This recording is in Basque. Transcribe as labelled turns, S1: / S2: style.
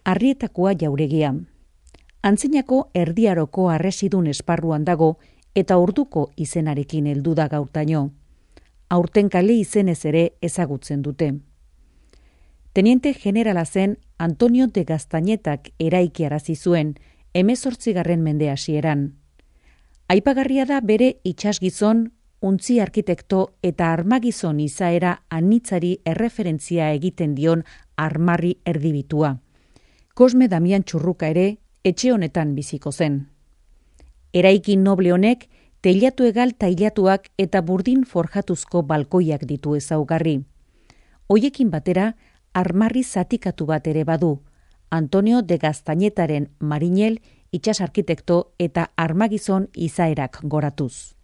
S1: Arrietakoa jauregia. Antzinako erdiaroko harresidun esparruan dago eta orduko izenarekin heldu da gaurtaino. Aurten kale izenez ere ezagutzen dute. Teniente generala zen Antonio de Gaztañetak eraikiarazi zuen 18. mende hasieran. Aipagarria da bere itsasgizon, untzi arkitekto eta armagizon izaera anitzari erreferentzia egiten dion armarri erdibitua. Cosme Damian Txurruka ere etxe honetan biziko zen. Eraikin noble honek teilatu egal tailatuak eta burdin forjatuzko balkoiak ditu ezaugarri. Hoiekin batera, armarri zatikatu bat ere badu, Antonio de Gaztañetaren marinel, itsas arkitekto eta armagizon izaerak goratuz.